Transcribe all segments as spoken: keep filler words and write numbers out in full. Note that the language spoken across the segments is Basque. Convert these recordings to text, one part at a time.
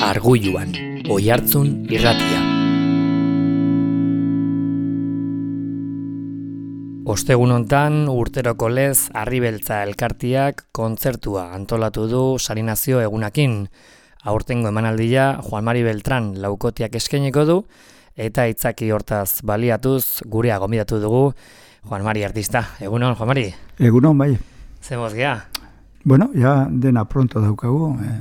Argulluan, Oihartzun irratia. Ostegun hontan urteroko lez Harribeltza elkartiak kontzertua antolatu du Sarinazio egunakin. Aurtengo emanaldia Juan Mari Beltran laukotiak eskainiko du eta itzaki hortaz baliatuz gurea gonbidatu dugu Juan Mari artista. Egunon, Juan Mari? Egunon, bai. Zemoz gea? Bueno, ya dena pronto daukagu. Eh,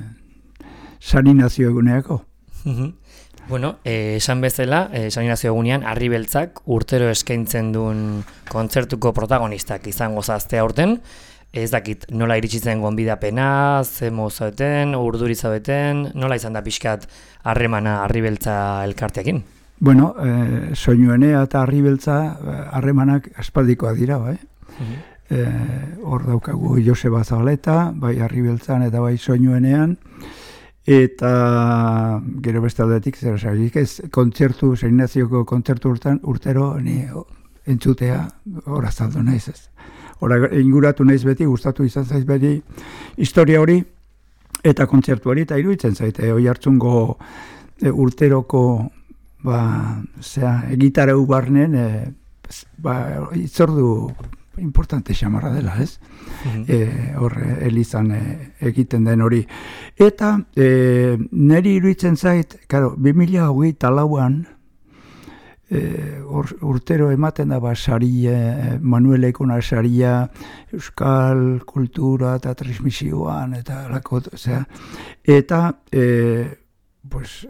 Sarinazio eguneako. Bueno, eh, esan bezala, eh, Sarinazio egunean Harribeltzak urtero eskaintzen duen kontzertuko protagonistak izango zazte aurten. Ez dakit nola iritsi zen gonbidapena, ze mozauten, urduri zaudeten, nola izan da pixkat harremana Harribeltza elkarteakin? Bueno, eh, soinuenea eta Harribeltza harremanak aspaldikoa dira, bai. Uh-huh. eh, hor daukagu Joseba Zabaleta, bai Harribeltzan eta bai soinuenean, eta gero beste aldetik, zer esarik ez, kontzertu, Sarinazioko kontzertu urtan, urtero ni entzutea hor azaldu naiz ez. Hora inguratu naiz beti, gustatu izan zaiz beti historia hori eta kontzertu hori, eta iruditzen zaite, Oihartzungo e, urteroko ba, zera, egitarau barnen e, ba, itzordu importante xamarra dela, ez? Mm-hmm. E, hor, elizan e, egiten den hori. Eta e, niri iruditzen zait, karo, bi mila hogeita lauan e, or, urtero ematen da ba, saria, Manuel Ekona saria, euskal kultura eta transmisioan, eta lako, zera, eta e, pues,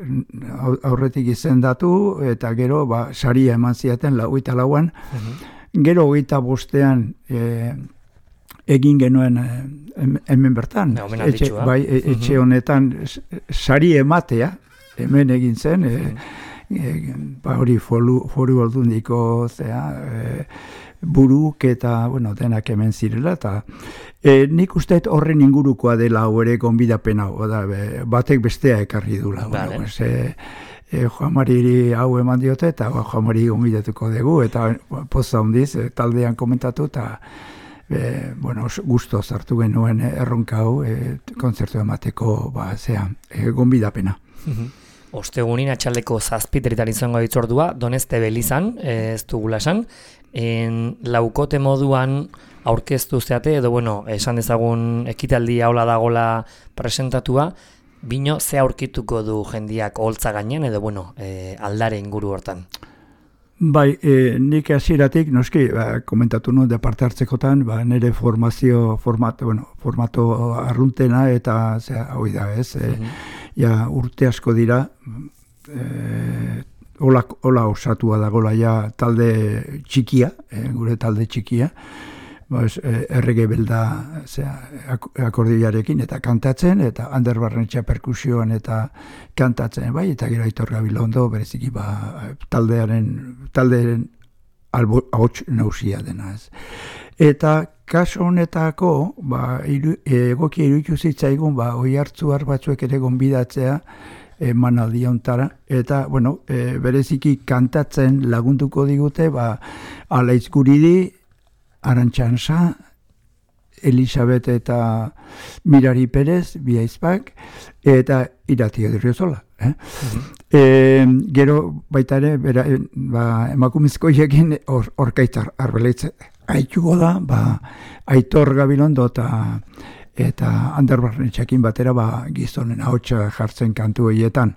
aurretik izendatu, eta gero ba, saria eman ziaten hogeita lauan, mm-hmm. Gero hogeita bostean e, egin genuen e, hemen bertan, ja, etxe, bai, e, etxe honetan sari ematea, hemen egin zen, e, e, ba, hori foru, foru aldundiko zea, e, buruk eta bueno, denak hemen zirela, eta e, nik uste horren ingurukoa dela hau ere gonbidapena, batek bestea ekarri dula. Vale. Bueno, pues, E, Juan Mariri hau eman diote, eta Juan Mariri gonbidatuko dugu, eta poza hundiz, e, taldean komentatu, eta e, bueno, gusto zartu genuen erronka hau, e, kontzertu emateko, ba, zea, e, gonbidapena. Ostegunin atxaldeko zazpiterritan izango ditzordua, Donezte Belizan, ez dugula esan, en laukote moduan aurkeztu zeate, edo bueno, esan dezagun ekitaldi haula dagola presentatua, bino ze aurkituko du jendiak holtza gainean edo bueno, e, aldare inguru hortan? Bai, e, nik hasieratik noski ba, komentatu nuen de parte hartzekotan, ba, nire formazio formato, bueno, formato arruntena eta zera, hoi da, ez? E, mm-hmm. Ja, urte asko dira, e, hola, hola osatua dagoela ja talde txikia, e, gure talde txikia, Bas, errege belda akordiarekin eta kantatzen, eta Ander Barrenetxea perkusioan eta kantatzen, bai, eta gero Aitor Gabilondo bereziki ba, taldearen, taldearen ahots nausia dena. Ez. Eta kaso honetako, ba, iru, egokia iruditu zitzaigun, ba, Oihartzuar batzuek ere gonbidatzea, emanaldi hontara, eta, bueno, e, bereziki kantatzen lagunduko digute, ba, Alaitz Guridi, Arantxansa, Elisabet eta Mirari Perez, bi aizpak, eta Irati Odriozola. Eh? Mm-hmm. E, gero baita ere, bera, ba, emakumezkoiekin or, orkaitzar arbeleitze. Aituko da, ba, Aitor Gabilondo eta eta Ander Barrenetxekin batera ba, gizonen ahotsa jartzen kantu horietan.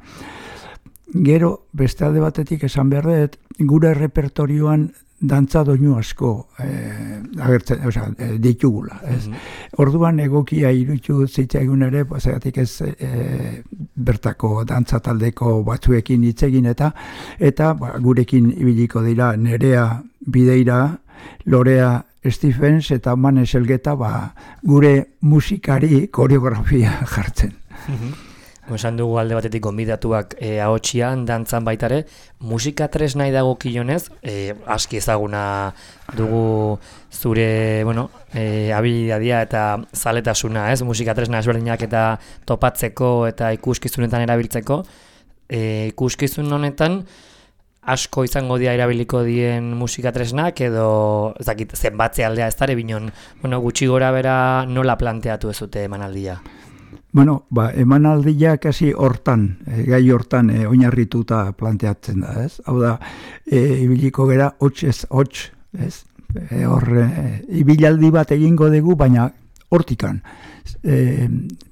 Gero, beste alde batetik esan behar dut, gure repertorioan dantza doinu asko eh, agertzen, oza, eh, ditugula. Ez? Mm-hmm. Orduan egokia iruditu zitzaigun ere, zeratik ez eh, bertako dantza taldeko batzuekin hitz egin eta eta ba, gurekin ibiliko dira Nerea Bideira, Lorea Stephens eta Manes Elgeta ba, gure musikari koreografia jartzen. Mm-hmm. Esan dugu alde batetik gonbidatuak e, ahotxian, dantzan baitare, musika tresnai dago kilonez, e, aski ezaguna dugu zure, bueno, e, habilidadia eta zaletasuna, ez? Musika tresna ezberdinak eta topatzeko eta ikuskizunetan erabiltzeko. E, ikuskizun honetan, asko izango dira erabiliko dien musika tresnak, edo, ez dakit, zenbatze aldea ez dara, binon, bueno, gutxi gora bera nola planteatu ez dute emanaldia? Bueno, ba, emanaldiak hasi hortan, e, gai hortan e, oinarrituta planteatzen da, ez? Hau da, e, ibiliko gera hots ez hots, ez? E, hor, e, ibilaldi bat egingo dugu, baina hortikan. E,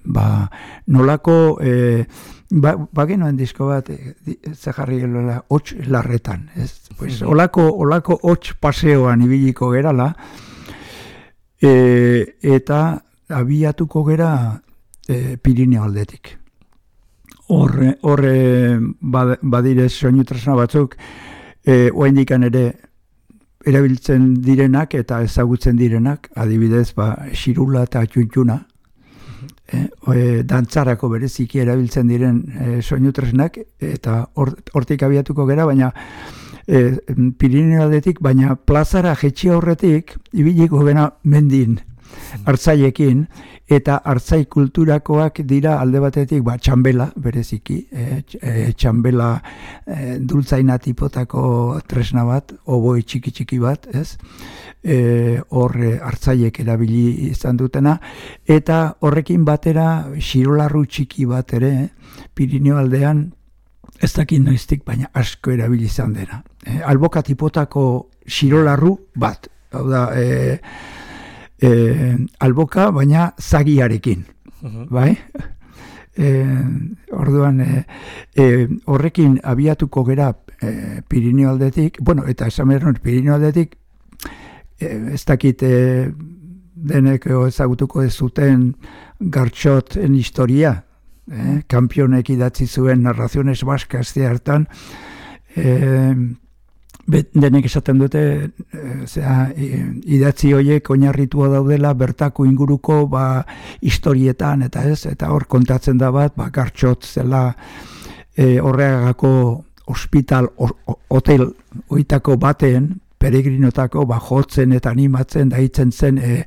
ba, nolako, e, ba, ba genuen disko bat, e, ze jarri gelola, hots larretan, ez? Pues, olako, olako hots paseoan ibiliko gerala, e, eta abiatuko gera E, Pirineo aldetik. Horre, horre badire soinu tresna batzuk, e, oaindikan ere erabiltzen direnak eta ezagutzen direnak, adibidez, ba, xirula eta txuntxuna, e, e, dantzarako bereziki erabiltzen diren e, soinu tresnak, eta hortik abiatuko gera, baina e, Pirineo aldetik, baina plazara jetxi horretik, ibiliko gena mendin, hartzaiekin, eta hartzai kulturakoak dira alde batetik ba, txambela, bereziki, e, e, txambela e, dultzaina tipotako tresna bat, oboi txiki-txiki bat, ez? E, hor hartzaiek erabili izan dutena, eta horrekin batera xirolarru txiki bat ere, Pirineo aldean, ez dakit noiztik, baina asko erabili izan dena. E, alboka tipotako xirolarru bat, hau da, e, E, alboka, baina zagiarekin, uh-huh. bai? E, orduan, e, e, horrekin abiatuko gera e, Pirineo aldetik, bueno, eta esan behar Pirineo aldetik, e, ez dakit e, denek ezagutuko ez zuten Gartxoten historia, e, kampionek idatzi zuen narraziones baskas hartan, e, Bet, denek esaten dute, e, zera, idatzi horiek oinarritua daudela bertako inguruko ba, historietan, eta ez, eta hor kontatzen da bat, ba, Gartxot zela e, horregako hospital, o, hotel oitako baten, peregrinotako ba, jotzen eta animatzen daitzen zen e,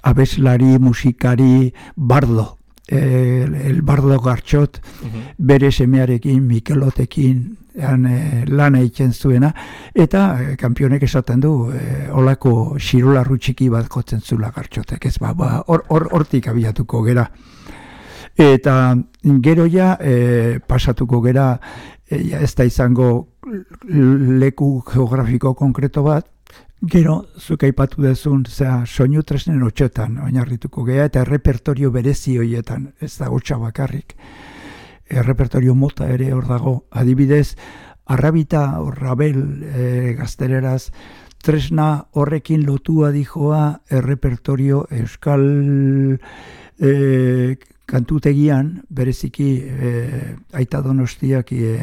abeslari, musikari, bardo. E, el bardo Gartxot, uh-huh. bere semearekin, Mikelotekin, Han, e, lana egiten zuena, eta e, kanpionek esaten du e, olako xirolarru txiki bat jotzen zula Gartxotek, ez ba, ba, or, or, hortik abiatuko gera. Eta gero ja e, pasatuko gera, e, ja, ez da izango leku geografiko konkreto bat, gero zuk aipatu dezun, zera, soinu tresnen hotxetan oinarrituko gera, eta repertorio berezi horietan, ez da hotxa bakarrik. Errepertorio mota ere hor dago, adibidez, arrabita, rabel e, gazteleraz, tresna horrekin lotua dijoa errepertorio euskal e, kantutegian, bereziki e, Aita Donostiak e,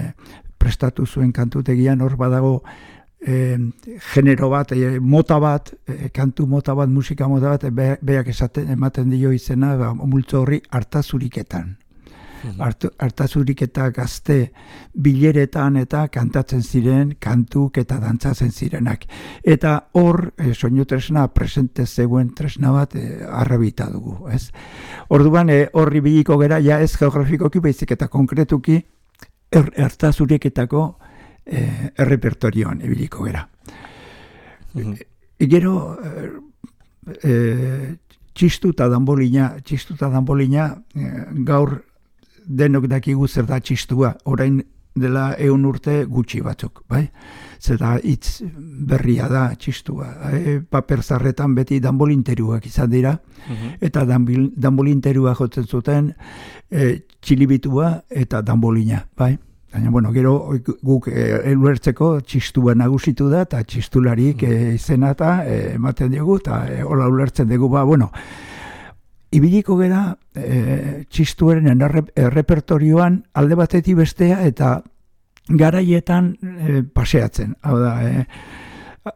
prestatu zuen kantutegian, hor badago e, genero bat, e, mota bat, e, kantu mota bat, musika mota bat, be, beak esaten ematen dio izena, ba, multzo horri hartazuriketan. Hartazurik eta gazte bileretan eta kantatzen ziren, kantuk eta dantzatzen zirenak. Eta hor, e, soinu tresna, presente zegoen tresna bat e, arrabita dugu. Ez? Orduan, e, horri biliko gera, ja ez geografikoki baizik eta konkretuki er, hartazuriketako e, errepertorioan ibiliko gera. Mm-hmm. E, gero, e, e, txistu eta danbolina, txistu eta danbolina e, gaur denok dakigu zer da txistua, orain dela ehun urte gutxi batzuk, bai? Zer da hitz berria da txistua. E, paper zarretan beti danbolinteruak izan dira, uh-huh. eta danbolinterua jotzen zuten e, txilibitua eta danbolina, bai? Baina, bueno, gero guk eluertzeko e, txistua nagusitu da, eta txistularik e, izena eta e, ematen dugu, eta e, hola ulertzen dugu, ba, bueno, ibiliko gera e, txistuaren errepertorioan alde batetik bestea eta garaietan e, paseatzen. Hau da, e,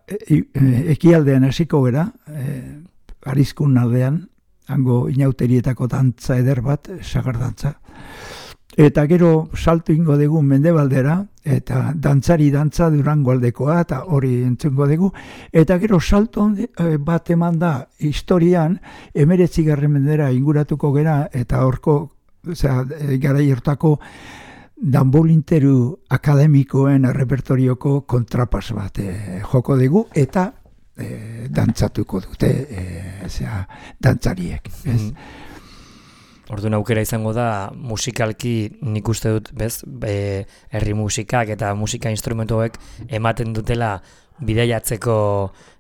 e, e, ekialdean hasiko gera, e, Arizkun aldean, hango inauterietako dantza eder bat, sagardantza. Eta gero salto ingo dugu mendebaldera, eta dantzari dantza Durango aldekoa, eta hori entzungo dugu. Eta gero salto bat eman da historian, emeretzigarren mendera inguratuko gera, eta horko, osea, garai hortako danbolinteru akademikoen repertorioko kontrapas bat e, joko dugu, eta e, dantzatuko dute, e, osea, dantzariek. Ez? Mm. Orduan aukera izango da musikalki nik uste dut, bez, e, herri musikak eta musika instrumentuek ematen dutela bidaiatzeko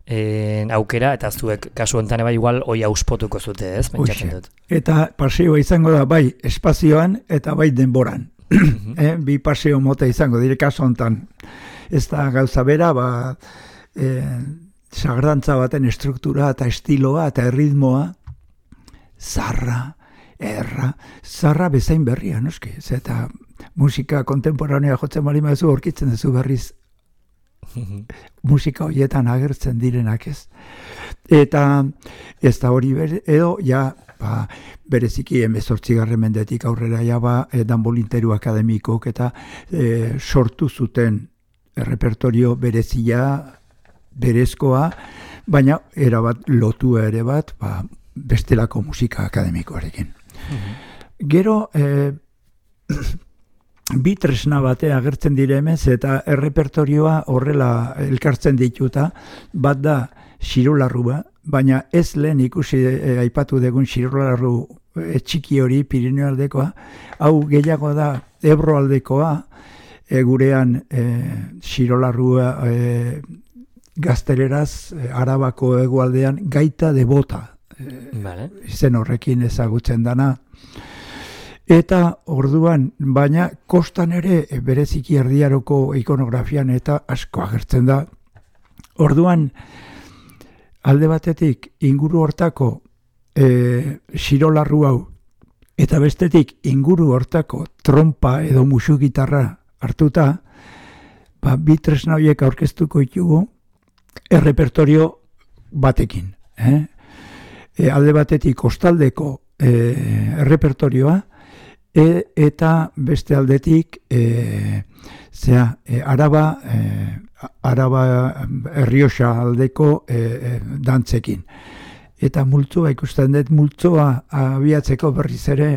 e, aukera, eta zuek kasu honetan bai igual hoi auspotuko zute, ez? Pentsatzen dut. Eta paseoa izango da bai espazioan eta bai denboran. eh, bi paseo mota izango dire kasu honetan. Ez da gauza bera, ba, e, sagrantza baten estruktura eta estiloa eta erritmoa, zarra, erra, zarra bezain berria, noski. Eta musika kontemporanea jotzen bali mazu aurkitzen duzu berriz musika horietan agertzen direnak, ez. Eta ez da hori bere, edo ja ba, bereziki hemezortzigarren mendetik aurrera ja ba, e, danbolinteru akademikok eta e, sortu zuten repertorio berezia, berezkoa, baina erabat lotua ere bat, ba, bestelako musika akademikoarekin. Mm-hmm. Gero, e, bi tresna batea agertzen dire hemen, eta errepertorioa horrela elkartzen dituta, bat da xirolarrua, baina ez lehen ikusi e, aipatu degun xirolarru e, txiki hori Pirineo aldekoa, hau gehiago da Ebro aldekoa, e, gurean e, xirolarrua e, gazteleraz e, Arabako hegoaldean gaita de bota, e, vale. Izen horrekin ezagutzen dana. Eta orduan, baina kostan ere bereziki erdiaroko ikonografian eta asko agertzen da. Orduan, alde batetik inguru hortako e, xirolarru hau, eta bestetik inguru hortako trompa edo musu gitarra hartuta, ba, bi tresna horiek aurkeztuko ditugu errepertorio batekin. Eh? E, alde batetik kostaldeko e, errepertorioa, E, eta beste aldetik e, zera, e, Araba e, Araba Errioxa aldeko e, e, dantzekin. Eta multzoa ikusten dut, multzoa abiatzeko berriz ere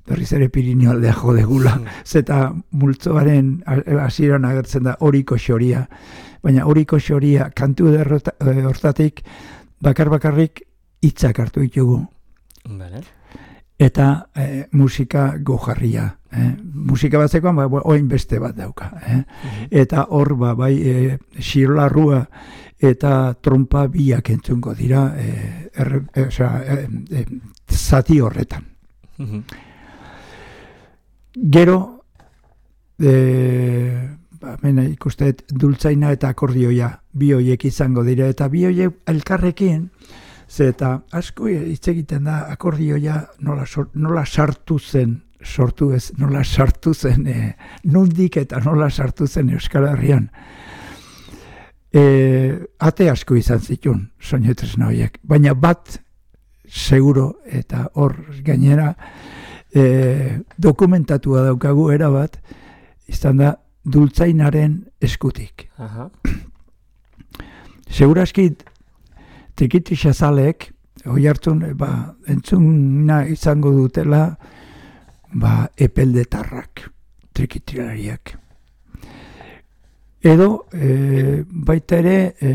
berriz ere Pirineo aldea jodegula. Zeta multzoaren hasieran agertzen da Oriko xoria. Baina Oriko xoria kantu hortatik bakar-bakarrik hitzak hartu ditugu. Vale. Eta e, musika gojarria. Eh? Musika batzekoan, ba, oin beste bat dauka. Eh? Mm-hmm. Eta hor, ba, bai, e, xirolarrua eta trompa biak entzungo dira e, er, e, oza, e, e, zati horretan. Mm-hmm. Gero, e, ba, mena, ikustet, dultzaina eta akordioia bi hoiek izango dira, eta bi hoiek elkarrekin, eta asko hitz egiten da akordioia nola, nola sartu zen, sortu ez, nola sartu zen, e, nondik eta nola sartu zen Euskal Herrian. E, ate asko izan zituen, soinu tresna horiek, baina bat seguro eta hor gainera e, dokumentatua daukagu era bat, izan da dultzainaren eskutik. Aha. Seguraski Trikitixazalek, hoi hartzun, ba, entzuna izango dutela, ba, epeldetarrak, trikitilariak. Edo, e, baita ere, e,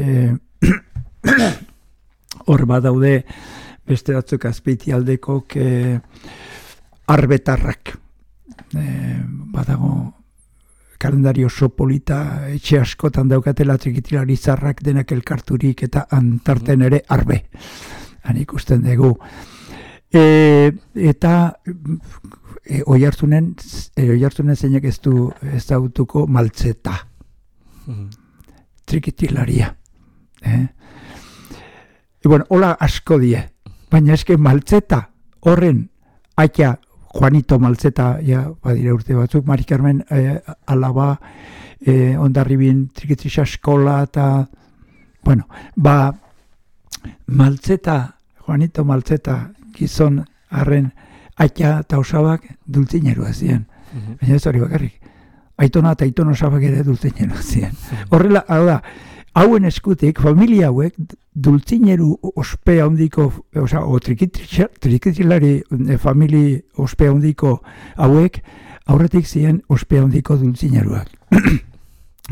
hor badaude beste batzuk azpeiti aldekok e, arbetarrak. E, badago, kalendario oso polita etxe askotan daukatela trikitilari zarrak denak elkarturik eta antarten ere arbe. Han ikusten dugu. E, eta e, oi hartzunen, e, oi hartzunen zeinek ez du ezagutuko maltzeta. Mm-hmm. Trikitilaria. Eh? E, bueno, hola asko die. Baina eske maltzeta horren aitea Juanito Maltzeta, ja, badire urte batzuk, Mari Carmen eh, alaba, eh, Ondarribin Trikitixa eskola, eta, bueno, ba, Maltzeta, Juanito Maltzeta, gizon arren aitea eta osabak dultzinerua ziren. Mm-hmm. Baina ez hori bakarrik. Aitona eta aitona osabak ere dultzinerua ziren. Mm-hmm. Horrela, hau da, hauen eskutik, familia hauek, dultzineru ospea hondiko, oza, o trikitilari e, famili ospea hondiko hauek, aurretik ziren ospea hondiko dultzineruak.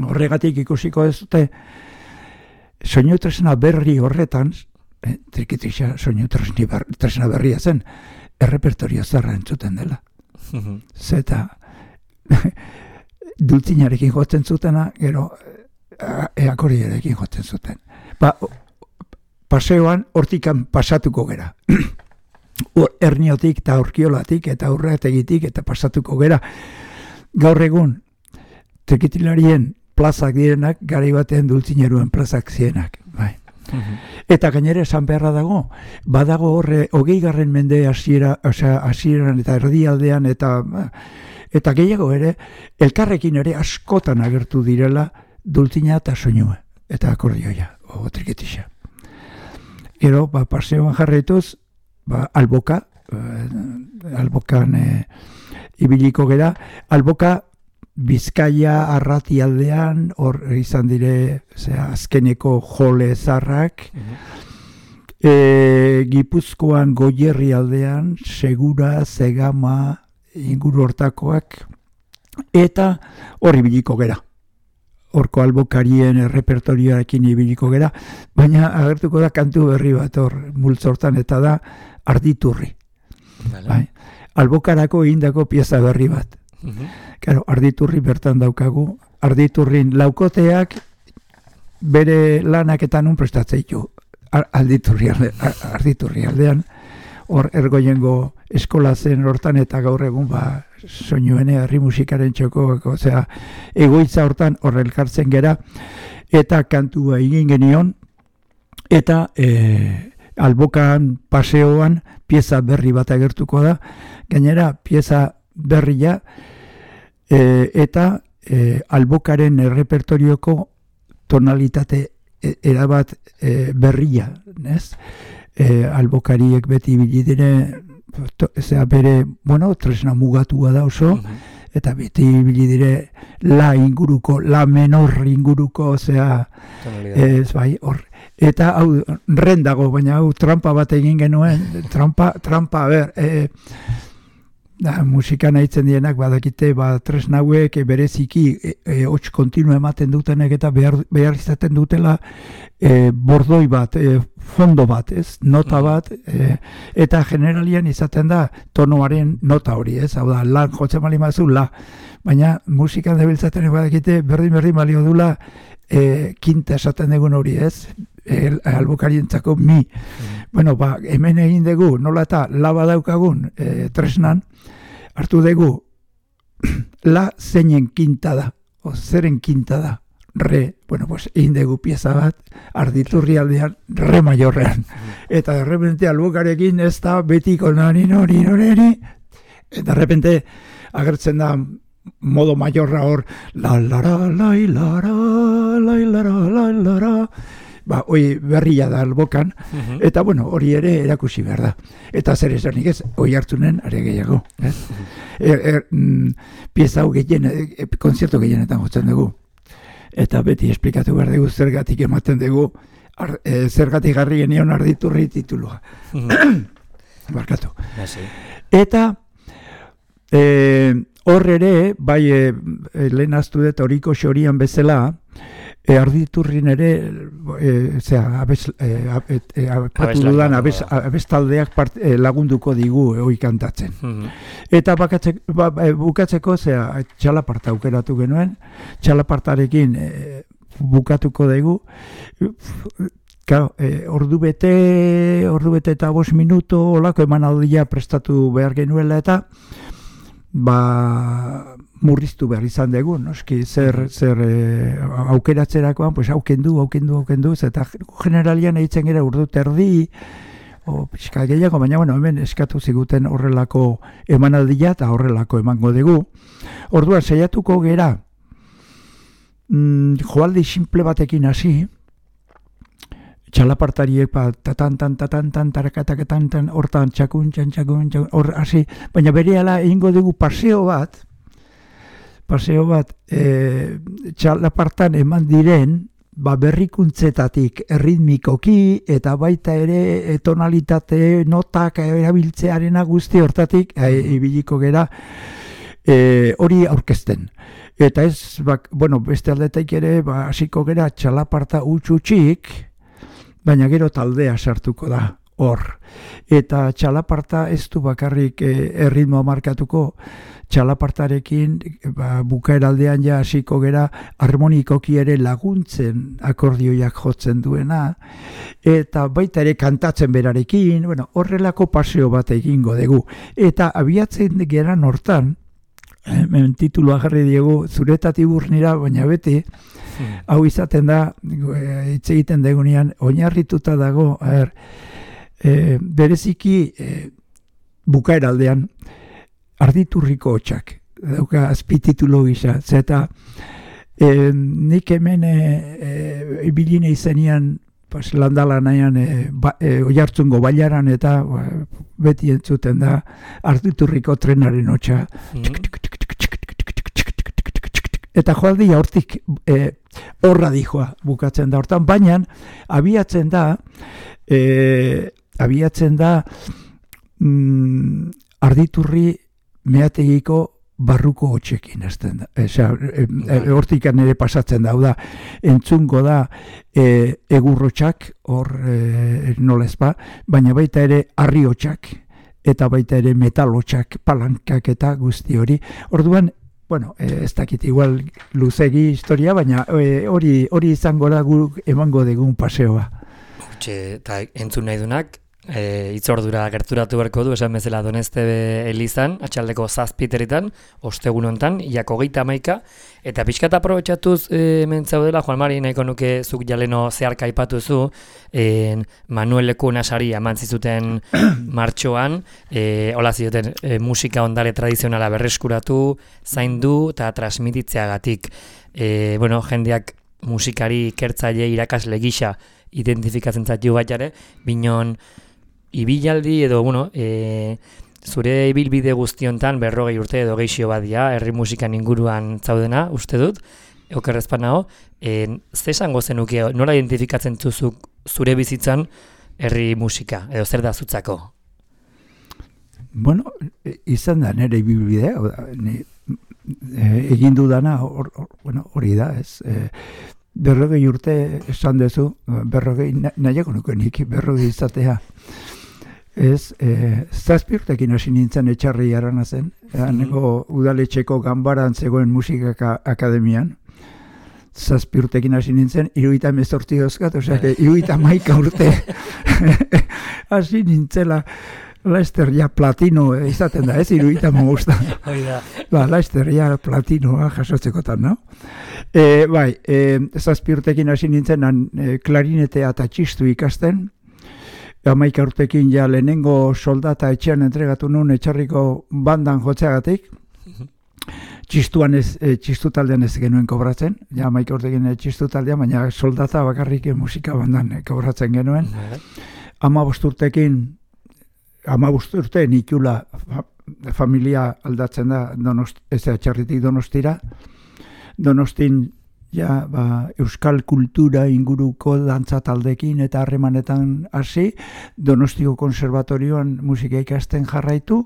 Horregatik ikusiko ez dute, soinu tresna berri horretan, eh, trikitixa soinu tresna berria zen, errepertorio zarra entzuten dela. Zeta dultzinarekin jotzen zutena, gero eakordiarekin jotzen zuten. Ba, paseoan hortikan pasatuko gera. Erniotik eta Urkiolatik eta Urreategitik eta pasatuko gera. Gaur egun, trekitilarien plazak direnak, gari batean dultzineruen plazak zienak. Bai. Uhum. Eta gainera esan beharra dago, badago horre hogei garren mende hasiera, osea, hasieran eta erdialdean eta eta gehiago ere, elkarrekin ere askotan agertu direla dultzina eta soinua, eta akordioia, o triketixa. Gero, ba, paseoan jarraituz, ba, alboka, eh, albokan eh, ibiliko gera, alboka Bizkaia arrati aldean, hor izan dire, zera, azkeneko jole zarrak, uh-huh. e, Gipuzkoan Goierri aldean, Segura, Zegama, inguru hortakoak, eta hor ibiliko gera. Horko albokarien repertorioarekin ibiliko gera, baina agertuko da kantu berri bat hor multzortan, eta da Arditurri. Vale. Bai. Albokarako indako pieza berri bat. Uh-huh. Claro, Arditurri bertan daukagu, Arditurrin laukoteak bere lanak eta nun prestatzeitu Arditurri, alde, Arditurri aldean, hor ergoiengo eskola zen hortan eta gaur egun ba, soinuene herri musikaren txoko, osea, egoitza hortan hor elkartzen gera, eta kantua egin genion, eta e, albokan paseoan pieza berri bat agertuko da, gainera pieza berria, e, eta e, albokaren repertorioko tonalitate e, erabat e, berria, ez? E, albokariek beti bilidire, zera bere, bueno, tresna mugatua da oso, uh-huh. eta beti bilidire la inguruko, la menor inguruko, zera, ez bai, hor. Eta hau, ren dago, baina hau trampa bat egin genuen, trampa, trampa, a ber, e, da, musika nahitzen dienak badakite ba, tresna hauek bereziki e, e, hots kontinu ematen dutenek eta behar, behar izaten dutela e, bordoi bat, e, fondo bat, ez? Nota bat, e, eta generalian izaten da tonoaren nota hori, ez? Hau da, lan jotzen bali mazu, la. Baina musikan debiltzaten badakite berdin-berdin balio dula e, kinta esaten dugun hori, ez? E, albokarientzako mi. Mm. Bueno, ba, hemen egin dugu, nola eta laba daukagun e, tresnan, hartu dugu la zeinen kinta da, o zeren kinta da, re, bueno, pues egin dugu pieza bat, Arditurri aldean, re maiorrean. Eta de repente albokarekin ez da betiko nari nori nori, eta de repente agertzen da modo maiorra hor, la la la la la la la la la la, ba, hoi berria da albokan, uh-huh. eta bueno, hori ere erakusi behar da. Eta zer esanik ez, hoi hartunen, are gehiago. Eh? er, er, mm, pieza hau gehien, e, konzertu gehienetan jotzen dugu. Eta beti esplikatu behar dugu, zergatik ematen dugu, ar, e, zergatik garri genion Arditurri titulua. Uh-huh. Barkatu. Basi. Eta, e, hor ere, bai, e, lehen aztu dut horiko xorian bezala, E, Arditurrin ere, e, zera, abez, e, e, e, apatu dudan abez, abeztaldeak part, e, lagunduko digu e, hoi kantatzen. Mm-hmm. Eta bakatzek, ba, e, bukatzeko, zera, txalaparta aukeratu genuen, txalapartarekin e, bukatuko dugu, claro, e, ordu bete, ordu bete eta bost minuto, olako emanaldia prestatu behar genuela eta, ba, murriztu behar izan dugu, noski, zer, zer e, aukeratzerakoan, pues aukendu, aukendu, aukendu, eta generalian eitzen gara urdu terdi, o pixka gehiago, baina bueno, hemen eskatu ziguten horrelako emanaldia eta horrelako emango dugu. Orduan, saiatuko gera, mm, joaldi simple batekin hasi, txalapartariek, ba, tatan, tan, tatan, tan, tarakataketan, tan, hortan, txakun, txan, txakun, txakun, hor, hasi, baina berehala egingo dugu paseo bat, paseo bat, e, txalapartan eman diren, ba, berrikuntzetatik erritmikoki, eta baita ere e, tonalitate, notak erabiltzearena guzti hortatik, e, ibiliko gera, e, hori aurkezten. Eta ez, ba, bueno, beste aldetaik ere, ba, hasiko gera txalaparta utxutxik, baina gero taldea sartuko da. hor. Eta txalaparta ez du bakarrik e, erritmoa markatuko, txalapartarekin ba, bukaeraldean ja hasiko gera harmonikoki ere laguntzen akordioiak jotzen duena, eta baita ere kantatzen berarekin, bueno, horrelako paseo bat egingo dugu. Eta abiatzen geran hortan, hemen titulua jarri diegu, zuretatik burnira, baina beti, hmm. hau izaten da, hitz egiten degunean, oinarrituta dago, er, e, bereziki e, bukaeraldean, Arditurriko hotxak, dauka azpititulo gisa, zeta e, nik hemen e, e, biline izenian pues, landala nahian e, ba, e, oiartzungo bailaran eta ba, beti entzuten da Arditurriko trenaren hotxa. Eta joaldi hortik e, horra dijoa bukatzen da hortan, baina abiatzen da e, abiatzen da mm, Arditurri meategiko barruko hotxekin ezten da. Eza, hortikan ere pasatzen da, da, entzungo da e, egurrotxak, hor e, nolezpa, baina baita ere harri hotxak, eta baita ere metal hotxak, palankak eta guzti hori. Orduan, bueno, e, ez dakit igual luzegi historia, baina hori e, hori izango da guk emango degun paseoa. Hortxe, eta entzun nahi dunak, E, itzordura gerturatu berko du, esan bezala Donezte Elizan, atxaldeko zazpiterritan, ostegun hontan, iako geita amaika, eta pixkat aprobetxatuz e, mentzaudela, Juan Mari, nahiko nuke zuk jaleno zeharka aipatu zu, e, Manuel Lekuna sari eman zizuten martxoan, e, hola zioten e, musika ondare tradizionala berreskuratu, zaindu eta transmititzeagatik. E, bueno, jendeak musikari ikertzaile irakasle gisa identifikatzen zaitu baitare, binon ibilaldi edo, bueno, e, zure ibilbide guztiontan berrogei urte edo geixio badia, herri musikan inguruan zaudena, uste dut, okerrezpan nago, e, ze esango zenuke, nola identifikatzen zuzuk zure bizitzan herri musika, edo zer da zutzako? Bueno, izan da nire ibilbidea, e, egin dudana hori or, bueno, da, ez, e, berrogei urte esan dezu, berrogei, nahiago nuke nik, berrogei izatea. Ez, e, zazpi urtekin hasi nintzen etxarri arana zen, nego udaletxeko ganbaran zegoen musika akademian, zazpi urtekin hasi nintzen, iruita mezortzi dozkat, osea, iruita maika urte hasi nintzela, Laster ja platino izaten da, ez, iruita mogusta. Ba, Laster ja platinoa jasotzekotan, no? E, bai, e, zazpi urtekin hasi nintzen, e, klarinetea eta txistu ikasten, amaika urtekin ja lehenengo soldata etxean entregatu nuen etxarriko bandan jotzeagatik, txistuan ez, e, txistu taldean ez genuen kobratzen, ja amaika urtekin txistu taldean, baina soldata bakarrik musika bandan kobratzen genuen. Hamabost urtekin, hamabost urte nikula familia aldatzen da donost, ez etxarritik Donostira, Donostin ja, ba, euskal kultura inguruko dantza taldekin eta harremanetan hasi, Donostiko konservatorioan musika ikasten jarraitu,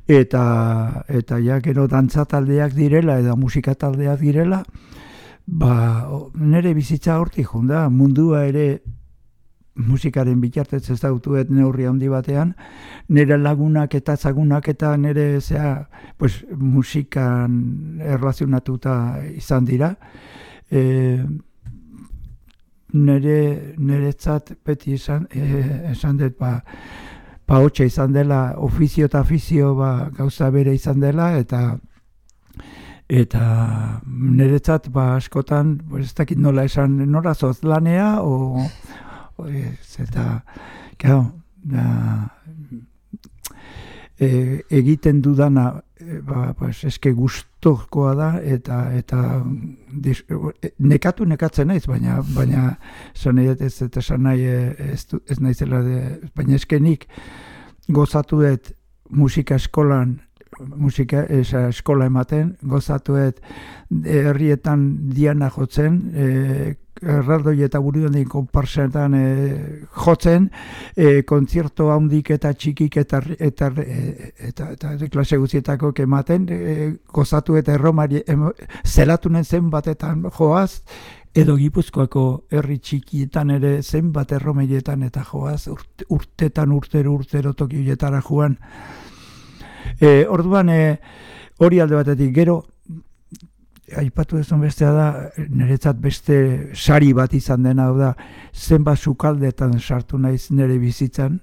eta eta ja gero dantza taldeak direla edo musika taldeak direla, ba, nire bizitza hortik junda, mundua ere musikaren bitartez ez dautuet neurri handi batean, nire lagunak eta zagunak eta nire zea, pues, musikan erlazionatuta izan dira. E, nire niretzat beti izan, e, esan dut, ba, ba hotxa izan dela, ofizio eta afizio ba, gauza bere izan dela, eta eta niretzat ba, askotan, pues, ez dakit nola esan, nora zozlanea, o Ez, eta, claro, da, e, egiten dudana, e, ba, pues, eske gustokoa da, eta, eta dis, nekatu nekatzen naiz, baina, baina, esan nahi ez, eta esan nahi ez, ez naizela, de, baina eske nik gozatu dut musika eskolan, musika esa, eskola ematen, gozatu dut herrietan diana jotzen, e, erraldoi eta buruandien konparsetan e, jotzen, e, kontzerto handik eta txikik eta eta, eta, eta, eta klase guztietako ematen, e, gozatu eta erromari zelatunen zen batetan joaz, edo Gipuzkoako herri txikietan ere zenbat erromeietan eta joaz, urte, urtetan urtero urtero tokioetara joan. E, orduan, e, hori alde batetik gero, aipatu duzun bestea da, niretzat beste sari bat izan dena, da, zenbat sukaldetan sartu naiz nire bizitzan,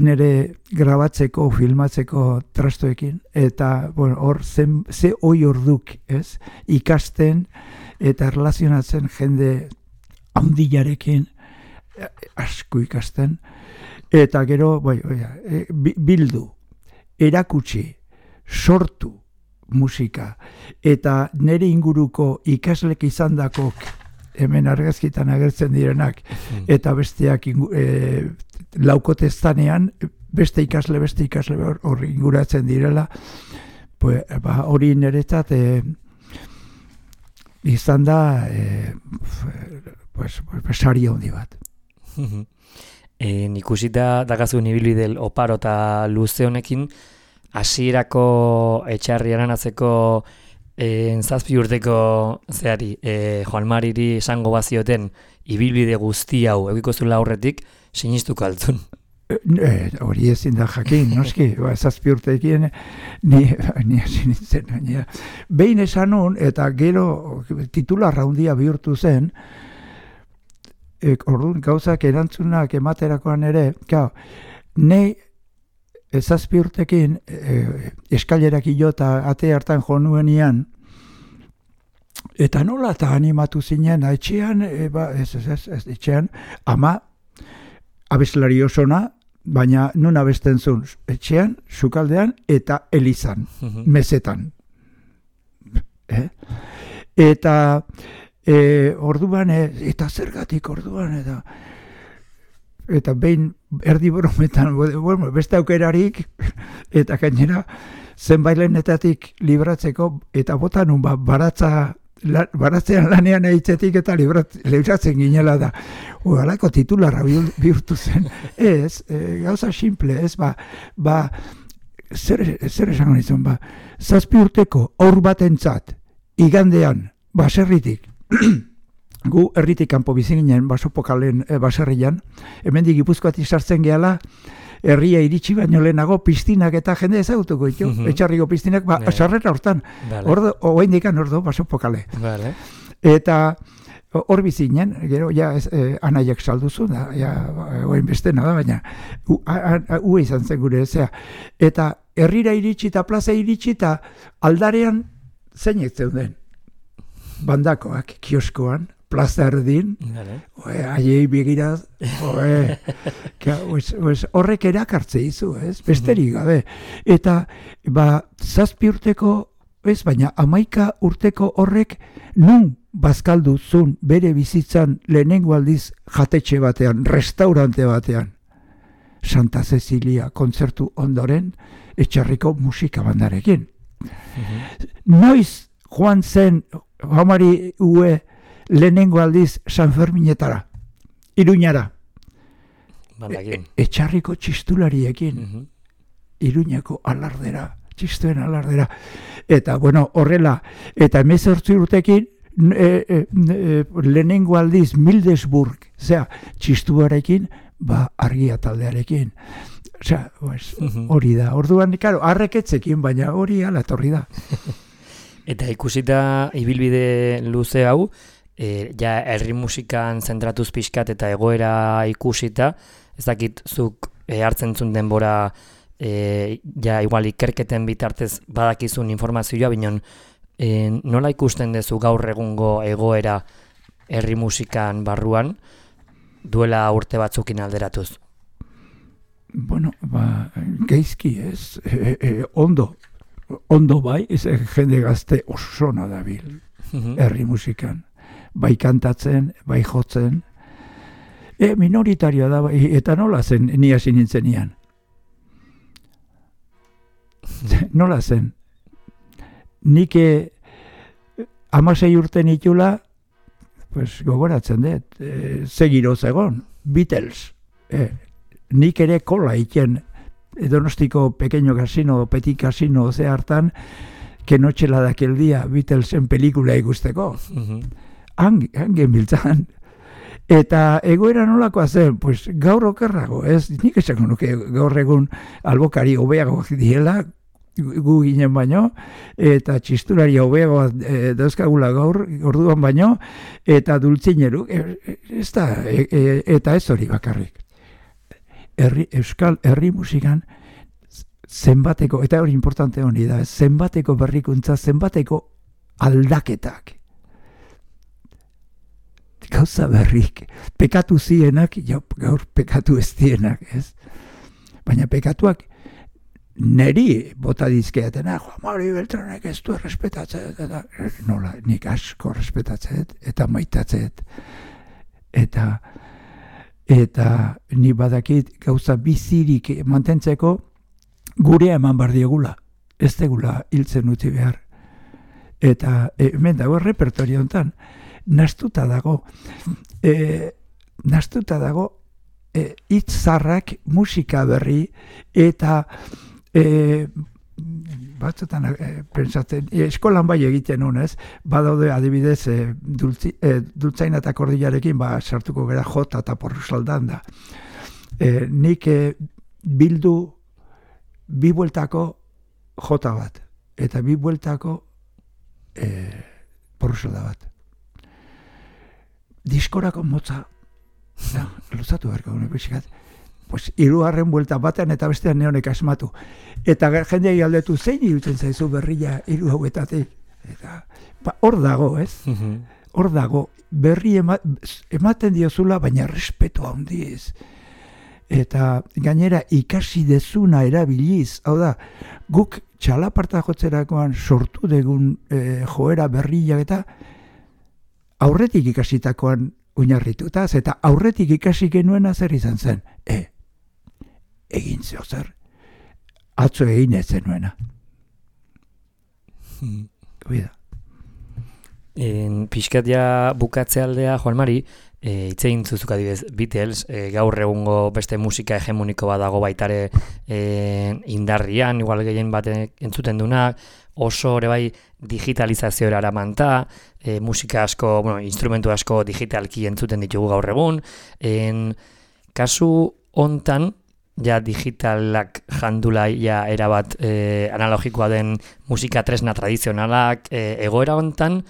nire grabatzeko, filmatzeko trastoekin, eta bueno, hor zen, ze hoi orduk, ez? Ikasten eta erlazionatzen jende handiarekin asko ikasten, eta gero bai, bai, bildu, erakutsi, sortu musika, eta nire inguruko ikaslek izandakok hemen argazkitan agertzen direnak, eta besteak ingu, e, laukotestanean, beste ikasle, beste ikasle hori inguratzen direla, pues, ba, hori niretzat e, izan da e, pues, pues, sari handi bat. E, Nikusita dagazun ibilbide oparo eta luze honekin, hasierako etxarri aranatzeko e, zazpi urteko zehari, e, Joan Mariri esango bazioten ibilbide guzti hau egiko zula aurretik, sinistuko altzun. E, hori ezin da jakin, noski, ba, zazpi urtekin ni, ni hasi nintzen. Baina. Behin esan nun, eta gero titularra handia bihurtu zen, e, orduan gauzak erantzunak ematerakoan ere, gau, nei zazpi urtekin e, eskailerak ilo eta ate hartan jo nuenian, eta nola eta animatu zinen, etxean, e, ba, ez, ez, ez, ez, etxean, ama, abeslari osona, baina nun abesten zuen, etxean, sukaldean, eta elizan, mezetan. Eh? Eta e, orduan, e, eta zergatik orduan, eta eta behin erdi brometan, bueno, beste aukerarik, eta gainera zenbailenetatik libratzeko, eta botan un ba, baratza, la, baratzean lanean eitzetik eta librat, libratzen ginela da. Ugalako titularra bihurtu zen. Ez, e, gauza simple, ez, ba, ba zer, zer esango nizun, ba, zazpi urteko aur batentzat, igandean, baserritik, gu herritik kanpo bizi ginen basopokalen e, baserrian, hemendik Gipuzkoatik sartzen gehala, herria iritsi baino lehenago piztinak eta jende ezagutuko ditu, mm -hmm. etxarriko piztinak, ba, sarrera hortan, vale. Ordo, oaindikan ordo basopokale. Vale. Eta hor bizi ginen, gero, ja, ez, eh, anaiak salduzu, da, ja, oain bestena da, baina, ue izan zen gure, zea. Eta herrira iritsi eta plaza iritsi eta aldarean zeinek zeuden. Bandakoak, kioskoan, plaza erdin, haiei begiraz, horrek erakartze izu, ez? Besterik gabe. Eta, ba, zazpi urteko, ez, baina amaika urteko horrek nun bazkaldu zun bere bizitzan lehenengo aldiz jatetxe batean, restaurante batean. Santa Cecilia kontzertu ondoren, etxarriko musika bandarekin. Noiz joan zen, Joamari ue, lehenengo aldiz San Ferminetara, Iruñara, e, etxarriko txistulariekin, mm -hmm. Iruñako alardera, txistuen alardera, eta bueno, horrela, eta emezortzi urtekin, e, e, e, lehenengo aldiz Mildesburg, zera, txistuarekin, ba, argia taldearekin, osea, pues, mm -hmm. hori da, orduan, karo, arreketzekin, baina hori ala etorri da. Eta ikusita ibilbide luze hau, e, ja herri musikan zentratuz pixkat eta egoera ikusita, ez dakit zuk e, hartzen zuen denbora e, ja igual ikerketen bitartez badakizun informazioa, binon e, nola ikusten dezu gaur egungo egoera herri musikan barruan duela urte batzukin alderatuz? Bueno, ba, geizki ez, e, e, ondo. Ondo bai, ez jende gazte osona dabil herri musikan. Bai kantatzen, bai jotzen. E, minoritario da, bai, eta nola zen ni hasi nintzen nian? Nola zen? Nik hamasei urte nitula, pues, gogoratzen dut, e, zegiroz egon, Beatles. E, nik ere kola iken, Donostiko pequeño casino, petit casino, ze hartan, que noche la daquel día, Beatlesen pelikula ikusteko. Uh-huh. han, han genbiltzan. Eta egoera nolakoa zen, pues, gaur okerrago, ez? Nik esako nuke gaur egun albokari hobeagoak diela, gu ginen baino, eta txistulari hobeagoa e, dauzkagula gaur, orduan baino, eta dultzineru, e, ez da, e, e, eta ez hori bakarrik. Herri, Euskal herri musikan zenbateko, eta hori importante honi da, zenbateko berrikuntza, zenbateko aldaketak. Gauza berrik, pekatu zienak, jo, gaur pekatu ez dienak, ez? Baina pekatuak neri bota dizkeatena, Juan Mari Beltranek ez du errespetatzen, eta nola, nik asko errespetatzen, eta maitatzen, eta eta ni badakit gauza bizirik mantentzeko gurea eman bar diegula, ez degula hiltzen utzi behar. Eta hemen dago repertorio hontan, nastuta dago, e, nastuta dago e, hitzarrak, musika berri, eta e, batzutan e, pentsatzen, e, eskolan bai egiten honez, badaude adibidez e, dultzi, e, dultzaina eta kordilarekin ba, sartuko gara jota eta porrusaldan da. E, nik e, bildu bi bueltako jota bat, eta bi bueltako e, porrusalda bat. Diskorako motza, no, luzatu berko, pixkat, pues, hirugarren buelta batean eta bestean neonek asmatu. Eta jendei aldetu zein irutzen zaizu berria hiru hauetatik. Eta ba, hor dago, ez? Hor dago, berri ema, ematen diozula, baina respetu handiz. Eta gainera ikasi dezuna erabiliz, hau da, guk txalaparta jotzerakoan sortu degun e, joera berriak eta aurretik ikasitakoan oinarrituta, eta aurretik ikasi genuena zer izan zen. E, egin zeo zer, atzo egin ez zenuena. Hmm. Oida. En pixkat ja bukatze aldea, Juan Mari, e, itzein zuzuk adibidez Beatles, e, gaur egungo beste musika hegemoniko bat dago baitare e, indarrian, igual gehien bat entzuten dunak, oso ere bai digitalizazioa eramanta, e, musika asko, bueno, instrumentu asko digitalki entzuten ditugu gaur egun. En kasu hontan, ja digitalak jandula ja erabat e, analogikoa den musika tresna tradizionalak, e, egoera hontan,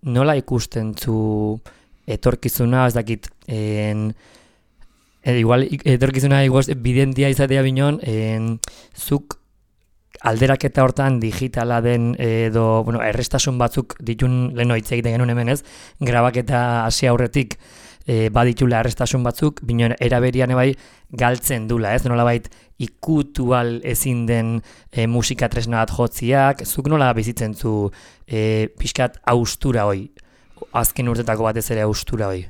nola ikusten zu etorkizuna, ez dakit, en, e, igual etorkizuna igual bidentia izatea binon, en, zuk alderaketa hortan digitala den edo, bueno, errestasun batzuk ditun leno hitz egiten genuen hemen ez, grabaketa hasi aurretik e, baditula errestasun batzuk, binon eraberian ebai galtzen dula, ez? Nolabait ikutual ezin den e, musika tresna bat jotziak, zuk nola bizitzen zu e, pixkat austura hoi, azken urtetako batez ere austura hoi?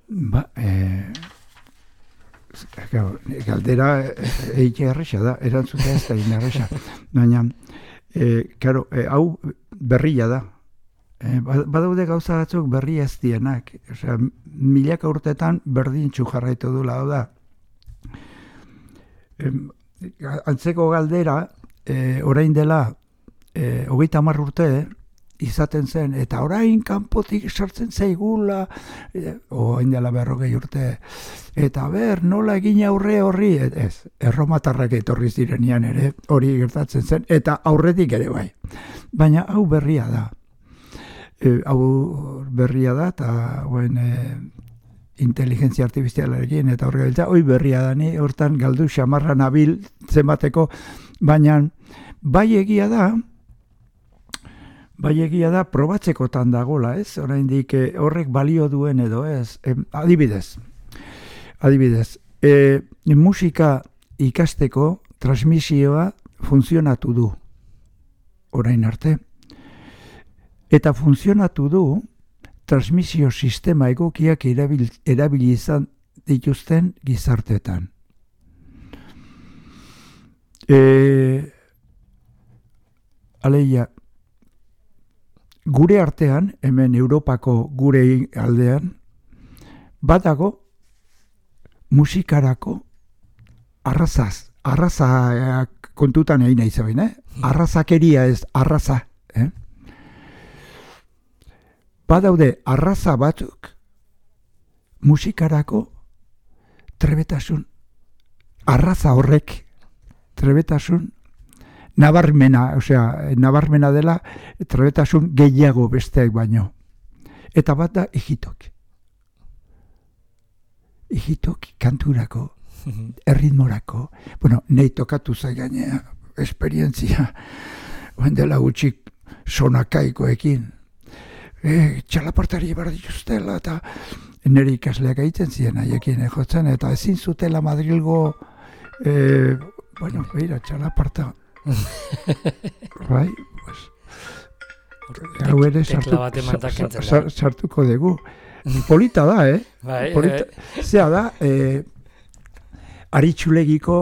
Ba, eh... galdera eite erresa da, erantzuta ez da inerresa. Baina, e, karo, e, hau berria da. E, badaude gauza batzuk berri ez dienak. Osea, milaka urtetan berdintxu jarraitu dula, hau da. E, antzeko galdera, e, orain dela, e, hogeita hamar urte, izaten zen, eta orain kanpotik sartzen zaigula, e, orain dela berrogei urte, eta ber, nola egin aurre horri, ez, erromatarrak etorri zirenean ere, hori gertatzen zen, eta aurretik ere bai. Baina hau berria da. E, hau berria da, eta buen, e, inteligentzia artifizialarekin, eta horre gabiltza, hoi berria da, ni hortan galdu xamarra nabil zenbateko, baina bai egia da, Bai egia da, probatzekotan dagola, ez? Oraindik horrek balio duen edo, ez? E, adibidez, adibidez, e, musika ikasteko transmisioa funtzionatu du, orain arte. Eta funtzionatu du, transmisio sistema egokiak erabil, erabili izan dituzten gizarteetan. E, aleia, gure artean, hemen Europako gure aldean, badago musikarako arrazaz, arraza kontutan egin nahi zabein, eh? Arrazakeria ez, arraza. Eh? badaude arraza batzuk musikarako trebetasun, arraza horrek trebetasun nabarmena, osea, nabarmena dela trebetasun gehiago besteak baino. Eta bat da egitok. Egitok kanturako, erritmorako, bueno, nahi tokatu zaiganea, esperientzia, oen dela gutxik sonakaikoekin, e, txalapartari barra dituztela, eta nire ikasleak egiten ziren haiekin jotzen, eta ezin zutela Madrilgo, e, bueno, beira, txalaparta, bai, pues, hau ere sartu, sartuko dugu. Polita da, eh? Bai, Polita, eh. Zea da, eh, aritxulegiko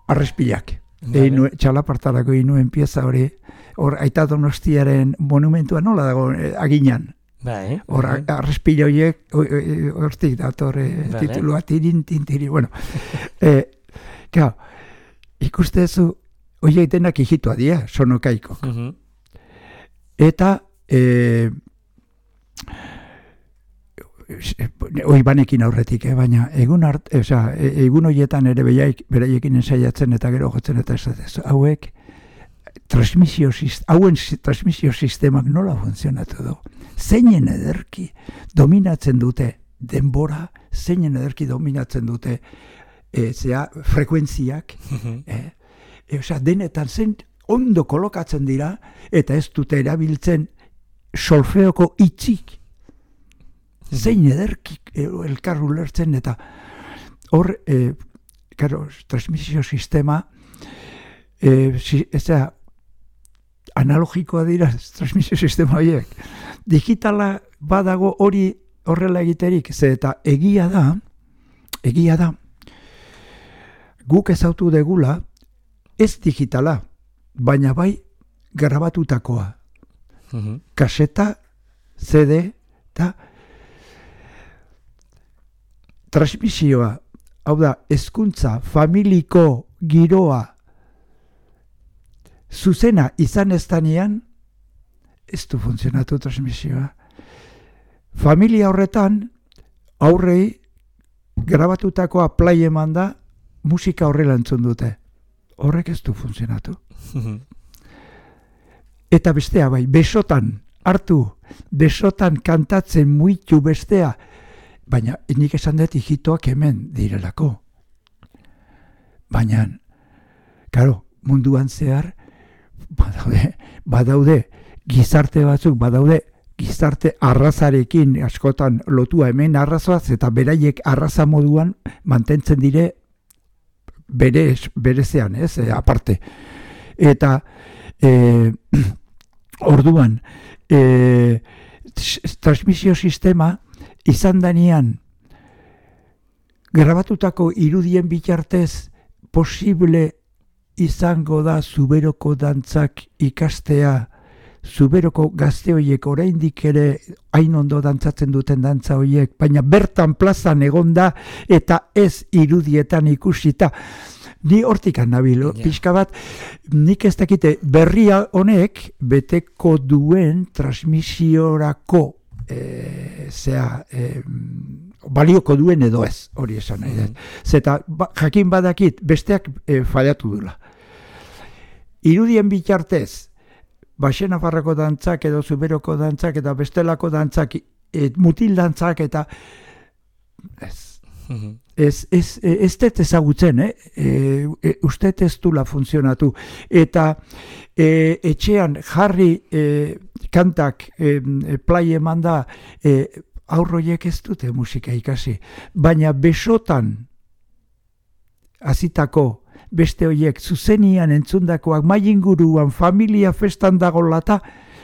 arrespilak. Einu, txalapartarako inuen pieza hori, hor aita Donostiaren monumentua nola dago eh, aginan. Bai, hor bai. arrespilo horiek, hortik dator eh, titulua tirin, tintiri, bueno. eh, Kao, ikustezu, horiek denak hijitua dira, sonokaikok. Uh -huh. Eta, eh, hoi banekin aurretik, eh? Baina egun art, e, oza, e, egun horietan ere beiaik, beraiekin ensaiatzen eta gero jotzen eta ez hauek transmisio, hauen transmisio sistemak nola funtzionatu du. Zeinen ederki dominatzen dute denbora, zeinen ederki dominatzen dute e, zea, frekuentziak, eh? e, oza, denetan zen ondo kolokatzen dira eta ez dute erabiltzen solfeoko itxik. Zein ederkik elkar ulertzen eta hor, eh, karo, transmisio sistema eh, si, eza, analogikoa dira transmisio sistema horiek. Digitala badago hori horrela egiterik, ze eta egia da, egia da, guk ezautu degula, ez digitala, baina bai grabatutakoa. Uh-huh. Kaseta, C D, eta transmisioa, hau da, hezkuntza familiko giroa zuzena izan eztanean, ez du funtzionatu transmisioa. Familia horretan, aurrei, grabatutakoa play eman da, musika horrela entzun dute. Horrek ez du funtzionatu. Eta bestea bai, besotan hartu, besotan kantatzen muitu bestea, baina nik esan dut hijitoak hemen direlako. Baina, karo, munduan zehar, badaude, badaude, gizarte batzuk, badaude, gizarte arrazarekin askotan lotua hemen arrazoaz, eta beraiek arraza moduan mantentzen dire berez, berezean, ez, e, aparte. Eta, e, orduan, e, transmisio sistema, izan danean, grabatutako irudien bitartez posible izango da zuberoko dantzak ikastea, zuberoko gazte horiek oraindik ere hain ondo dantzatzen duten dantza horiek, baina bertan plazan egonda eta ez irudietan ikusita. Ni hortikan nabil, yeah. Pixka bat, nik ez dakite berria honek beteko duen transmisiorako E, zea, e, balioko duen edo ez, hori esan nahi dut. Zeta, ba, jakin badakit, besteak e, fallatu dula. Irudien bitartez, Baxenafarroko dantzak edo Zuberoko dantzak eta bestelako dantzak, e, mutil dantzak eta ez. Ez, ez, ez dut ezagutzen, eh? E, e, uste ez dula funtzionatu. Eta e, etxean jarri e, kantak e, e, play eman da, e, aurroiek ez dute musika ikasi. Baina besotan azitako beste horiek zuzenian entzundakoak mai inguruan familia festan dagolata,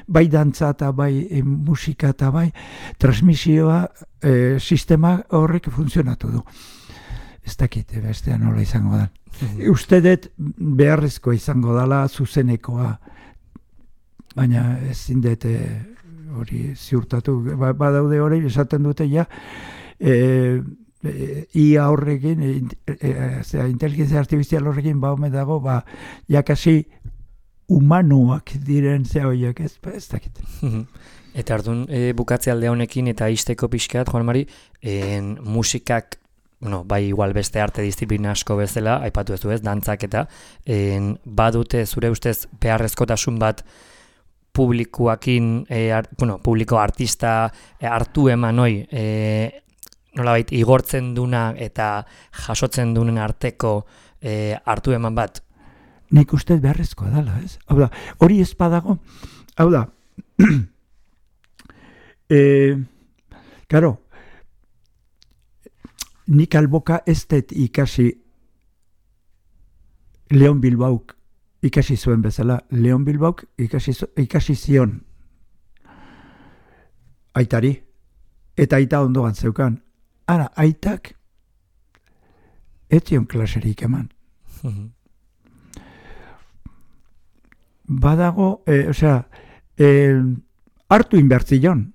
bai dantza eta bai e, musika eta bai transmisioa e, sistema horrek funtzionatu du. Ez dakit, bestea nola izango da. Mm-hmm. Uste dut beharrezkoa izango dela zuzenekoa, baina ezin dut hori ziurtatu. Ba, badaude hori, esaten dute ja, e, e, ia horrekin, e, e, e, inteligentzia artifizial horrekin ba home dago, ba, jakasi humanoak diren ze horiek, ez, ez dakit. Eta orduan e, bukatze alde honekin eta isteko pixkat, Juan Mari, en, musikak, bueno, bai igual beste arte disiplina asko bezala, aipatu ez du ez, dantzak eta, en, badute zure ustez beharrezkotasun bat publikoakin, e, ar, bueno, publiko artista e, hartu eman hoi, e, nolabait igortzen duna eta jasotzen dunen arteko e, hartu eman bat? Nik uste beharrezkoa dela, ez? Hau da, hori ez badago, hau da, e, karo, nik alboka ez dut ikasi Leon Bilbauk ikasi zuen bezala. Leon Bilbauk ikasi, ikasi zion aitari, eta aita ondoan zeukan. Ara, aitak etzion klaserik eman. Badago, e, osea, e, hartu inbertzion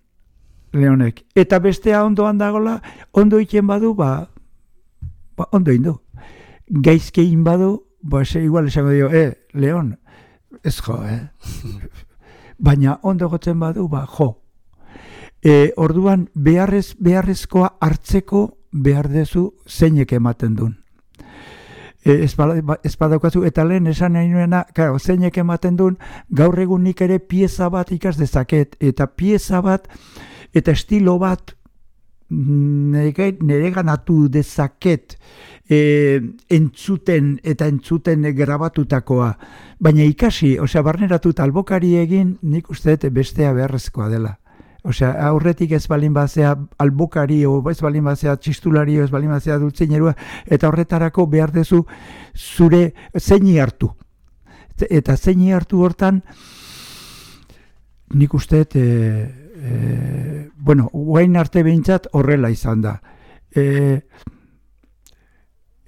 Leonek, eta bestea ondoan dagola, ondo iten badu, ba, ba ondo indu. Gaizkein badu, ba, ese, igual esango dio, eh, Leon, ez jo, eh? Baina ondo gotzen badu, ba, jo. E, orduan, beharrez, beharrezkoa hartzeko behar dezu zeinek ematen duen. E, ez badaukazu, eta lehen esan nahi nuena, claro, zeinek ematen duen, gaur egun nik ere pieza bat ikas dezaket, eta pieza bat, eta estilo bat nire, nire ganatu dezaket e, entzuten eta entzuten grabatutakoa. Baina ikasi, osea, barneratuta albokari egin, nik uste dut bestea beharrezkoa dela. Osea, aurretik ez balin bazea albokari, o ez balin bazea txistulari, o ez balin bazea dultzinerua, eta horretarako behar dezu zure zeini hartu. Eta zeini hartu hortan, nik uste dut, e, e, bueno, guain arte behintzat horrela izan da. E,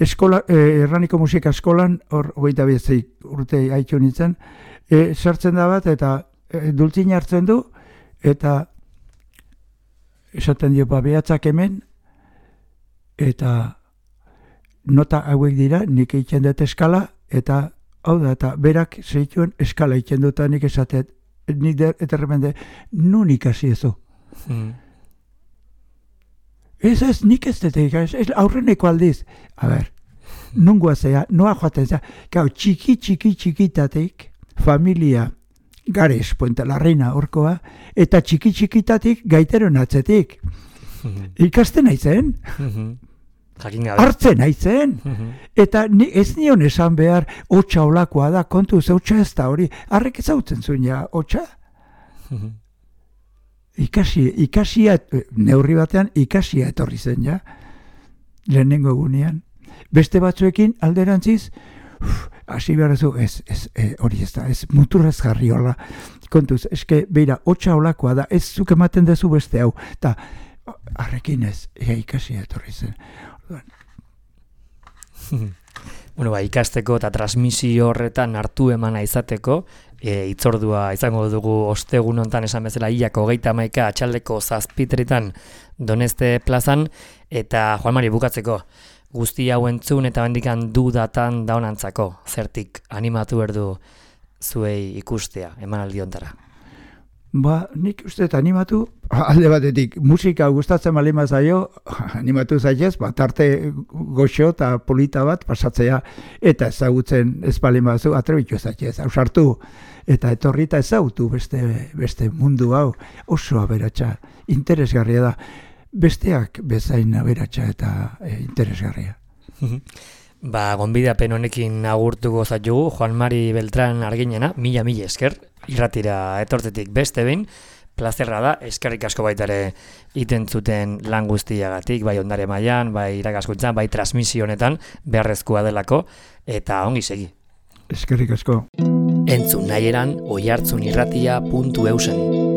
eskola, e, erraniko musika eskolan, hor, hogeita bezeik urte haitu nintzen, e, sartzen da bat, eta e, dultzin hartzen du, eta esaten dio, ba, behatzak hemen, eta nota hauek dira, nik egiten dut eskala, eta hau da, eta berak zeituen eskala egiten dut, nik esatet, nik eta repente, nun ikasi ezu. Mm. Ez ez, nik ez dut ikasi, aurreneko aldiz. A ber, nungoa zea, noa joaten zea, gau, txiki, txiki, txikitatik, familia, Gares, Puente la Reina orkoa, eta txiki txikitatik gaiteron atzetik. Mm-hmm. Ikasten aizen. Mm-hmm. Hartzen aizen. Mm-hmm. Eta ni, ez nion esan behar, hotxa olakoa da, kontuz, hotxa ez da hori. Arrek ezautzen zuen ja, hotxa? Mm-hmm. Ikasi, ikasia, neurri batean, ikasia etorri zen ja. Lehenengo egunean. Beste batzuekin alderantziz, uf, hasi behar ez, ez, ez e, hori ez da, ez muturrez jarri hola. Kontuz, eske, beira, hotxa olakoa da, ez zuk ematen dezu beste hau. Eta, arrekin ez, ea ikasi etorri zen. Bueno, ba, ikasteko eta transmisio horretan hartu emana izateko, e, itzordua izango dugu ostegun hontan esan bezala hilako hogeita hamaika atxaldeko zazpitretan Doneste plazan, eta Juan Mari bukatzeko, guzti hau entzun eta bendikan dudatan daunantzako, zertik animatu berdu zuei ikustea, emanaldi hontara. Ba, nik uste eta animatu, alde batetik, musika gustatzen bali mazaio, animatu zaitez, ba, tarte goxo eta polita bat pasatzea, eta ezagutzen ez bali mazu, atrebitu zaitez, ausartu, eta etorri eta ezagutu beste, beste mundu hau, oso aberatsa, interesgarria da, besteak bezain aberatsa eta e, interesgarria. Ba, gonbidapen honekin agurtuko zaitugu, Juan Mari Beltrán Arginena, mila mila esker, irratira etortzetik beste behin, plazerra da, eskerrik asko baitare iten zuten lan guztiagatik, bai ondare mailan, bai irakaskuntzan, bai transmisio honetan, beharrezkoa delako, eta ongi segi. Eskerrik asko. Entzun nahieran oihartzunirratia puntu eusen.